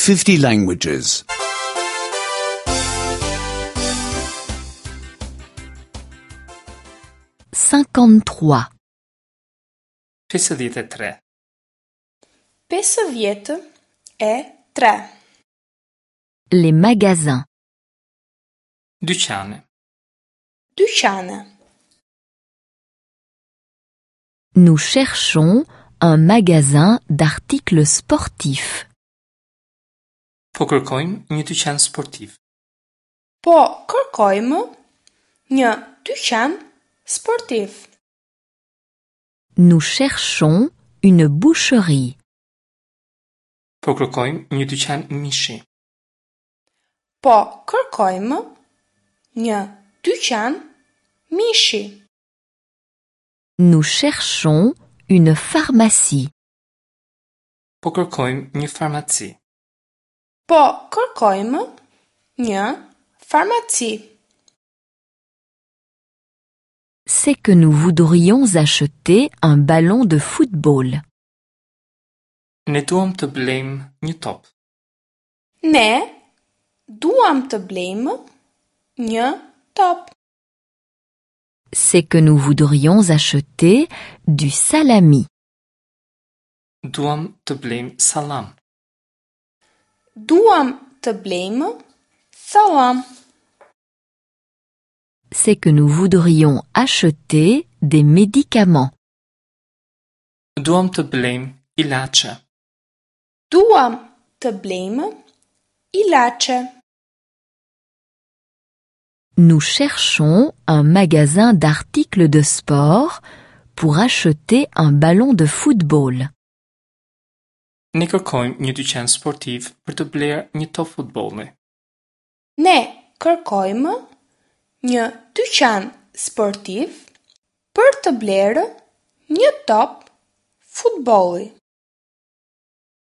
50 languages. 53. 53. 53. Les magasins. Dyqane. Dyqane. Nous cherchons un magasin d'articles sportifs. Po kërkojmë një dyqan sportiv. Po kërkojmë një dyqan sportiv. Nous cherchons une boucherie. Po kërkojmë një dyqan mishi. Po kërkojmë një dyqan mishi. Nous cherchons une pharmacie. Po kërkojmë një farmaci. Po kërkojmë një farmaci. C'est que nous voudrions acheter un ballon de football. Ne duam të blejmë një top. Ne duam të blejmë një top. C'est que nous voudrions acheter du salami. Duam të blejmë sallam. Duam të blejmë sallam. C'est que nous voudrions acheter des médicaments. Duam të blejmë ilaçe. Duam të blejmë ilaçe. Nous cherchons un magasin d'articles de sport pour acheter un ballon de football. Ne kërkojmë një dyqan sportiv për të blerë një top futbolli. Ne kërkojmë një dyqan sportiv për të blerë një top futbolli.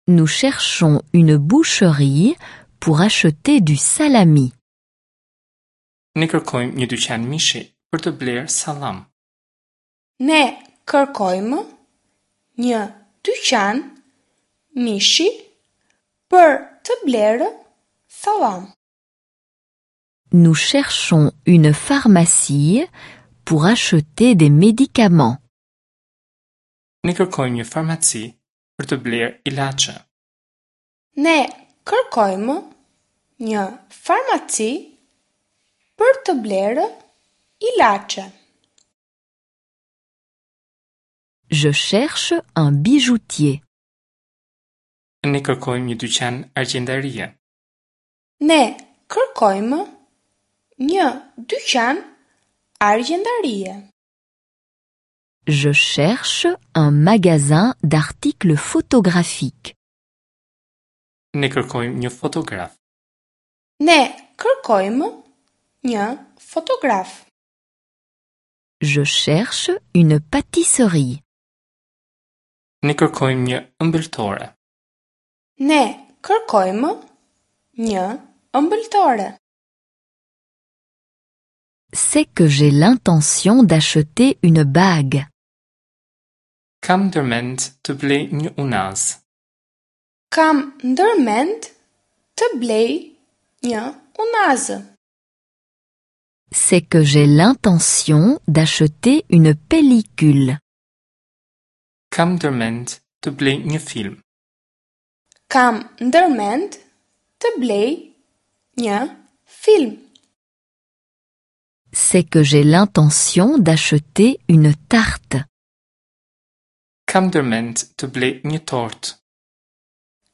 Nous cherchons une boucherie pour acheter du salami. Ne kërkojmë një dyqan mishi për të blerë sallam. Ne kërkojmë një dyqan mishi për të blerë sallam. Nous cherchons une pharmacie pour acheter des médicaments. Ne kërkojmë një farmaci për të blerë ilaçe. Ne kërkojmë një farmaci për të blerë ilaçe. Je cherche un bijoutier. Ne kërkojmë një dyqan argjendarie. Ne kërkojmë një dyqan argjendarie. Je cherche un magasin d'articles photographiques. Ne kërkojmë një fotograf. Ne kërkojmë një fotograf. Je cherche une pâtisserie. Ne kërkojmë një ëmbëltore. Ne kërkojmë një ëmbëltore. C'est que j'ai l'intention d'acheter une bague. Kam ndërmend të blej një unazë. Kam ndërmend të blej një unazë. C'est que j'ai l'intention d'acheter une pellicule. Kam ndërmend të blej një film. Kam ndërmend të blej një film. C'est que j'ai l'intention d'acheter une tarte. Kam ndërmend të blej një tortë.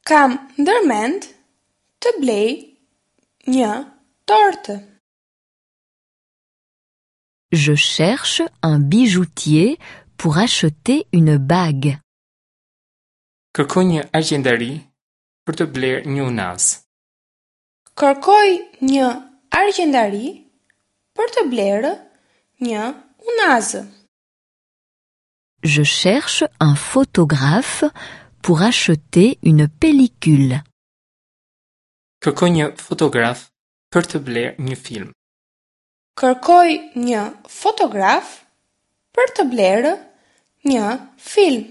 Kam ndërmend të blej një tortë. Je cherche un bijoutier pour acheter une bague. Kërkoj një argjendari për të blerë një unazë. Kërkoj një argjendari për të blerë një unazë. Je cherche un photographe pour acheter une pellicule. Kërkoj një fotograf për të blerë një film. Kërkoj një fotograf për të blerë një film.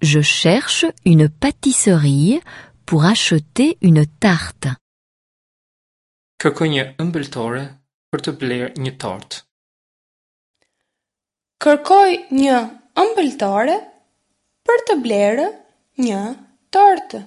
Je cherche une pâtisserie pour acheter une tarte. Kërkoj një ëmbëltore për të blerë një tortë. Kërkoj një ëmbëltore për të blerë një tortë.